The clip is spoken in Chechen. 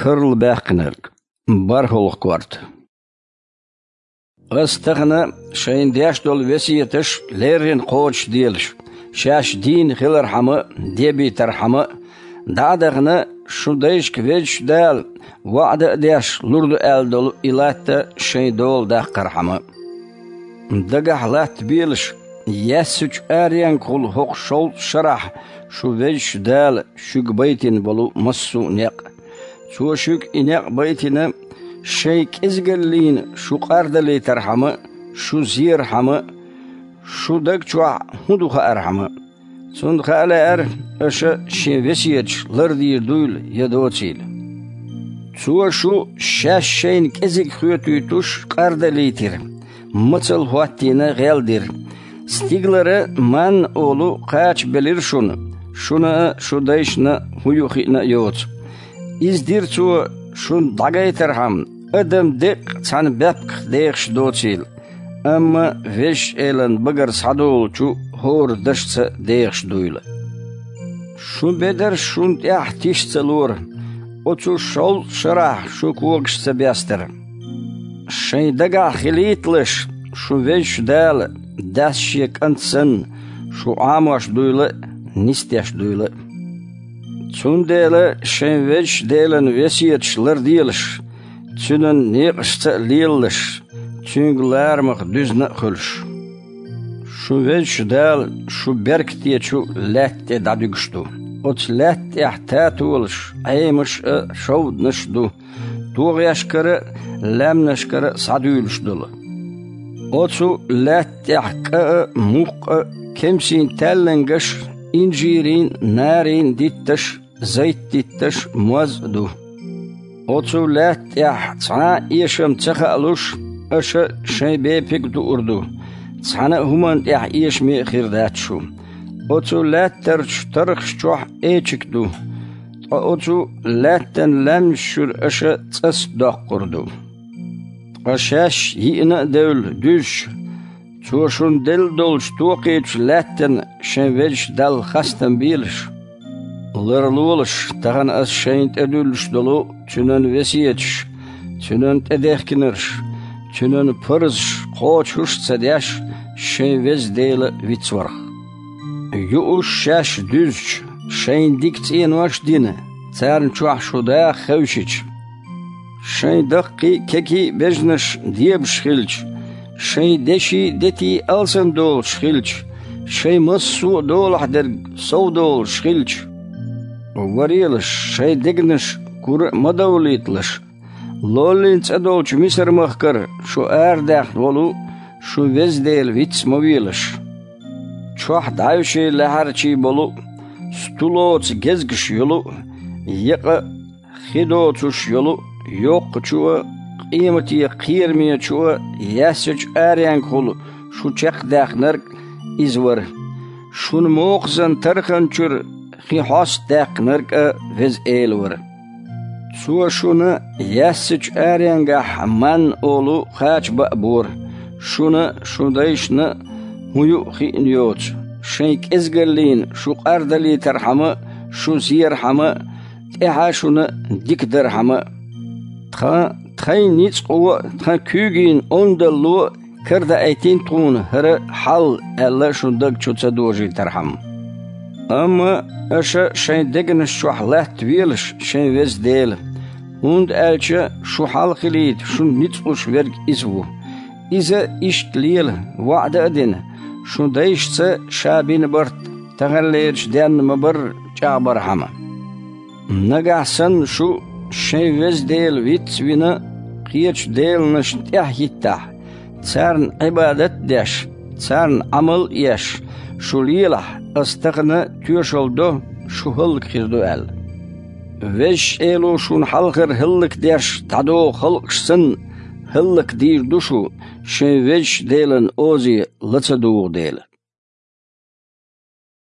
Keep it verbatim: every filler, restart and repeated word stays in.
Карла баьккхинарг. БархӀолгӀа корта. Ас тахана шайна деш долу весеташ леррина кхочушделаш, шаьш дийна хилархьама а, дебийтархьама а, дӀа а дахана, шун дайшка Везачу Дала ваӀда а деш лур ду аьлла долу и латта шайн дола даккхархьама а. Дагахь латтабелаш, яьссачу аренгахула хӀокху шовзткъа шарахь шу Везачу Дала шуьга байтина болу массо а некъ. Цо шуьга и некъ байтина, шайн кӀезигаллина шу къардалийтархьама а, шу зерхьама а, шун даг чохь хӀун ду хаархьама а. Цунна хаа лаьара, аша шен весеташ лардийр дуйла я доцийла. Цо шу шаьш шайна кӀезиг хоьтуьйтуш къардалийтира, мацалла хӀоттийна гӀел дира. Стигалара манна олу кхача белира шуна, шуна а, шун дайшна а хӀун ю хиъна а йоцу. Иза дира цо шуна дӀагайтархьама, адам деккъа цхьана баьпках дехаш доцийла, амма Везачу Элан багара схьадолучу хӀора дашца дехаш дуйла. Шун бедарш шуна тӀехь тиша ца лора, оцу шовзткъа шарахь шун когаш ца бестара. Шайн дагахь хилийталаш, шу Везачу Дала, дас шен кӀант санна, шу Ӏамош дуйла а, нисдеш дуйла а. Цундела шайн Везачу Делан весеташ ларделаш, Цуьнан некъашца а лелалаш, Цуьнга ларамах дуьзна а хуьлуш. Шун Везачу Дала шу беркатечу лаьтта тӀе дӀадуьгуш ду. Оцу лаьтта тӀехь татолаш, Ӏемаш а, шовданаш а ду, тогӀешкара а, лаьмнашкара а схьадуьйлуш долу. Оцу лаьтта тӀехь кӀа а, мукх а, кемсийн таьллангаш а, инжирийн а, нарийн а дитташ а, зайтдитташ а, моз а ду. Оцу лаьтта тӀехь цхьа а эшам ца хаалуш, аша шайн бепиг а дуур ду, цхьана а хӀуманна тӀехь эшаме а хир дац шу. Оцу лаьттарчу тархаш чохь эчиг ду, ткъа оцу лаьттан лаьмнаш чуьра аша цӀаст доккхур ду. Ткъа шаьш йиъна а девлла дуьзча, Цо шуна делла долчу токхечу лаьттана шайн Везачу Далла хастам белаш. Ларлолаш тахана ас шайна тӀедуьллуш долу Цуьнан весеташ, Цуьнан тӀедехкинарш, Цуьнан парзаш кхочуш а ца деш, шайн Веза Дела вицварх. Юуш шаьш дуьзча, шайна дика цӀенош а дина, царна чохь шу даха хевшича, шайн даккхий а, кегий а бежнаш дебаш хилча, шайн деший а, детий а алсамдолуш хилча, шайн массо а долахь дерг совдолуш хилча, варелаш, шайн дегнаш кура а ма довлийталаш, лоллин цӀа долчу Мисар-махкара шу арадаьхна волу шун Веза Дела виц ма велаш. Чохь дӀаьвший, лаьхьарчий болу а, сту лоцу гезгаш йолу а, екъа а, хи доцуш йолу а, йоккхачу а, къемате кхерамечу а, яьссачу аренгахула шу чекхдаьхнарг а иза вара. Шуна мокхазан тархан чуьра хи хьоста даьккхинарг а Веза Эла вара. Цо шуна яьссачу аренгахь манна олу кхача баа бора, шуна а, шун дайшна а хӀун ю а хиъна йоцу, шайн кӀезигаллина шу къардалийтархьама а, шу зерхьама а, тӀаьхьа шуна дика дархьама а. Тхан, тхайн ницкъо а, тхан куьйгийн ондалло а карадаийтина тхуна хӀара хьал аьлла шун даг чу ца дожийтархьама. Амма аша шайн дегнаш чохь латтавелаш шайн Веза Дела, хӀунда аьлча шу хьалхилийта шуна ницкъ луш верг Иза ву. Иза иштта лела, ваӀда а дина, шун дайшца ша бина барт таханлерчу денна ма-барра чӀагӀбархьама. Нагахь санна шу шайн Веза Дела виц а вина, кхечу деланашна тӀаьхьахӀиттахь, царна Ӏибадат а деш, царна Ӏамал а еш, шу лелахь, ас тахана тоьшалла до, шу хӀаллакьхир ду аьлла. Везачу Эло шуна хьалхара хӀаллакдеш дӀадогӀу халкъаш санна, хӀаллакдийр ду шу, шайн Везачу Делан озе ла ца дугӀу дела.